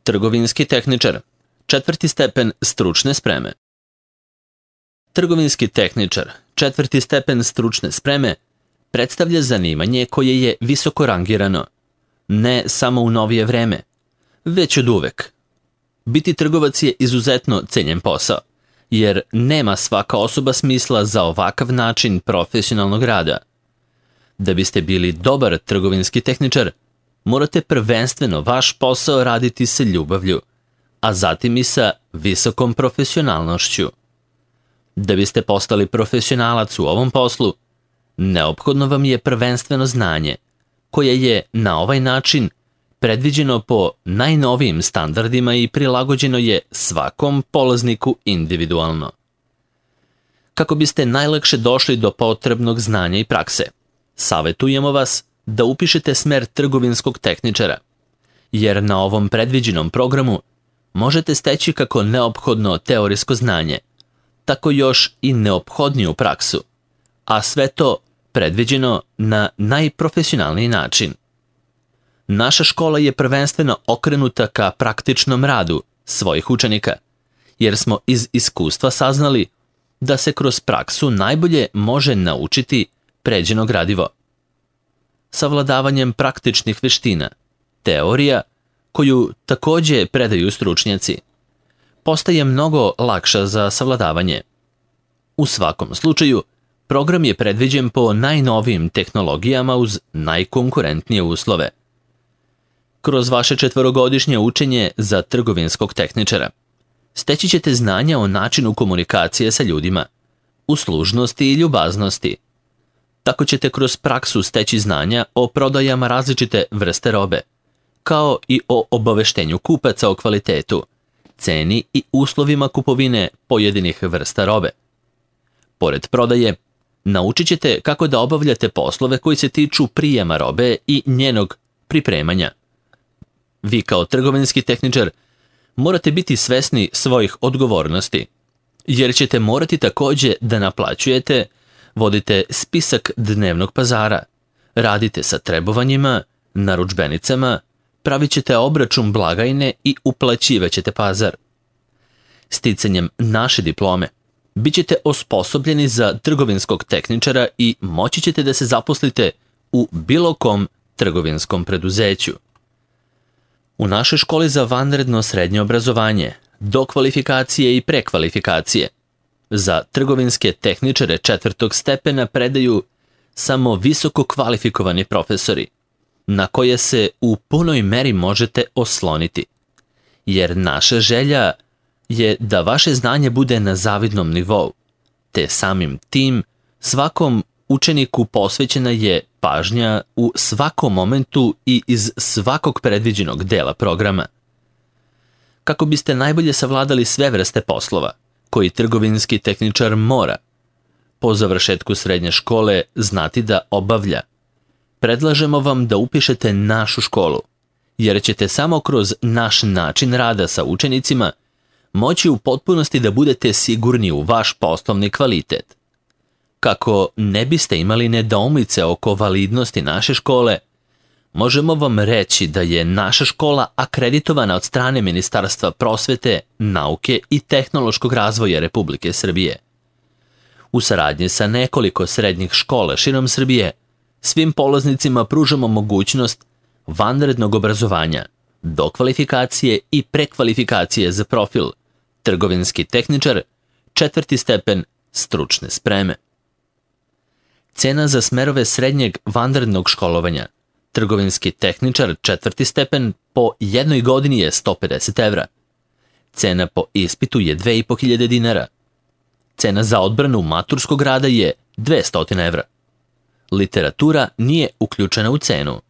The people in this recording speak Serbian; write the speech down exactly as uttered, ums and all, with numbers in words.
Trgovinski tehničar, četvrti stepen stručne spreme. Trgovinski tehničar, četvrti stepen stručne spreme, predstavlja zanimanje koje je visoko rangirano, ne samo u novije vreme, već od uvek. Biti trgovac je izuzetno cenjen posao, jer nema svaka osoba smisla za ovakav način profesionalnog rada. Da biste bili dobar trgovinski tehničar, morate prvenstveno vaš posao raditi sa ljubavlju, a zatim i sa visokom profesionalnošću. Da biste postali profesionalac u ovom poslu, neophodno vam je prvenstveno znanje, koje je na ovaj način predviđeno po najnovijim standardima i prilagođeno je svakom polazniku individualno. Kako biste najlakše došli do potrebnog znanja i prakse, savetujemo vas da upišete smer trgovinskog tehničara, jer na ovom predviđenom programu možete steći kako neophodno teorijsko znanje, tako još i neophodniju praksu, a sve to predviđeno na najprofesionalniji način. Naša škola je prvenstveno okrenuta ka praktičnom radu svojih učenika, jer smo iz iskustva saznali da se kroz praksu najbolje može naučiti pređeno gradivo. Savladavanjem praktičnih veština, teorija, koju takođe predaju stručnjaci, postaje mnogo lakša za savladavanje. U svakom slučaju, program je predviđen po najnovijim tehnologijama uz najkonkurentnije uslove. Kroz vaše četvorogodišnje učenje za trgovinskog tehničara steći ćete znanja o načinu komunikacije sa ljudima, uslužnosti i ljubaznosti. Tako ćete kroz praksu steći znanja o prodajama različite vrste robe, kao i o obaveštenju kupaca o kvalitetu, ceni i uslovima kupovine pojedinih vrsta robe. Pored prodaje, naučit ćete kako da obavljate poslove koji se tiču prijema robe i njenog pripremanja. Vi kao trgovinski tehničar morate biti svesni svojih odgovornosti, jer ćete morati takođe da naplaćujete, vodite spisak dnevnog pazara, radite sa trebovanjima, narudžbenicama, pravit ćete obračun blagajne i uplaćivaćete pazar. Sticanjem naše diplome bit ćete osposobljeni za trgovinskog tehničara i moći ćete da se zaposlite u bilo kom trgovinskom preduzeću. U našoj školi za vanredno srednje obrazovanje, do kvalifikacije i prekvalifikacije, za trgovinske tehničare četvrtog stepena predaju samo visoko kvalifikovani profesori, na koje se u punoj meri možete osloniti, jer naša želja je da vaše znanje bude na zavidnom nivou, te samim tim svakom učeniku posvećena je pažnja u svakom momentu i iz svakog predviđenog dela programa. Kako biste najbolje savladali sve vrste poslova koji trgovinski tehničar mora po završetku srednje škole znati da obavlja, predlažemo vam da upišete našu školu, jer ćete samo kroz naš način rada sa učenicima moći u potpunosti da budete sigurni u vaš poslovni kvalitet. Kako ne biste imali nedoumice oko validnosti naše škole, možemo vam reći da je naša škola akreditovana od strane Ministarstva prosvete, nauke i tehnološkog razvoja Republike Srbije. U saradnji sa nekoliko srednjih škola širom Srbije, svim polaznicima pružamo mogućnost vanrednog obrazovanja, dokvalifikacije i prekvalifikacije za profil trgovinski tehničar, četvrti stepen stručne spreme. Cena za smerove srednjeg vanrednog školovanja, trgovinski tehničar, četvrti stepen, po jednoj godini je sto pedeset evra. Cena po ispitu je dve i po hiljade dinara. Cena za odbranu maturskog rada je dvesta evra. Literatura nije uključena u cenu.